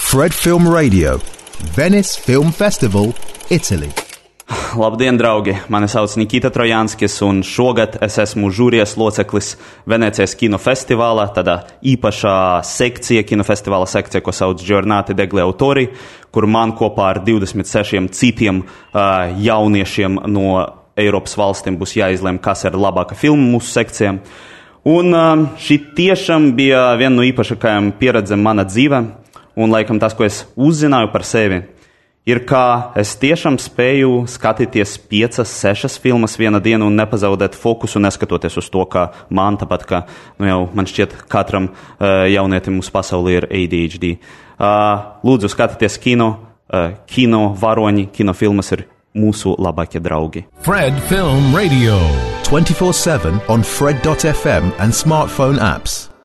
Fred Film Radio, Venice Film Festival, Italy. Labdien, draugi! Mani sauc Nikita Trojānskis, un šogad es esmu žūrijas loceklis Venecijas kinofestivālā, tādā īpašā sekcija, kinofestivāla sekcija, ko sauc Giornate degli Autori, kur man kopā ar 26 citiem jauniešiem no Eiropas valstīm būs jāizlem, kas ir labāka filma mūsu sekcijām. Un šī tiešām bija viena no īpašākajām pieredzēm mana dzīvē, un laikam tas, ko es uzzināju par sevi, ir, kā es tiešām spēju skatīties 5-6 filmas vienā dienā un nepazaudēt fokusu, neskatoties uz to, ka man tāpat, ka jau man šķiet katram jaunietim mūsu pasaulē ir ADHD. Lūdzu, skatieties kino varoņi, kinofilmas ir mūsu labākie draugi. Fred Film Radio, 24/7 on Fred.fm and smartphone apps.